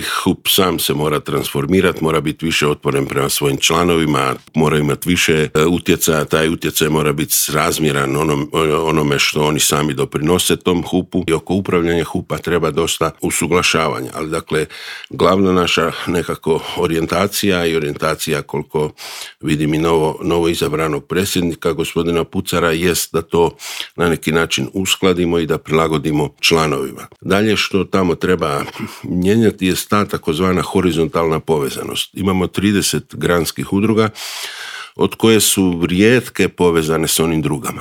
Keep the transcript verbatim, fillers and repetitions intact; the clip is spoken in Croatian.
H U P sam se mora transformirati, mora biti više otvoren prema svojim članovima, mora imati više utjecaja, taj utjecaj mora biti razmjeran onom, onome što oni sami doprinose tom H U P-u i oko upravljanja H U P-a treba dosta usuglašavanja. Ali dakle, glavna naša nekako orijentacija i orijentacija koliko vidim i novo, novo izabranog predsjednika gospodina Pucara jest da to na neki način uskladimo i da prilagodimo članovima. Dalje što tamo treba mijenjati je ta takozvana horizontalna povezanost. Imamo trideset granskih udruga od koje su rijetke povezane s onim drugama.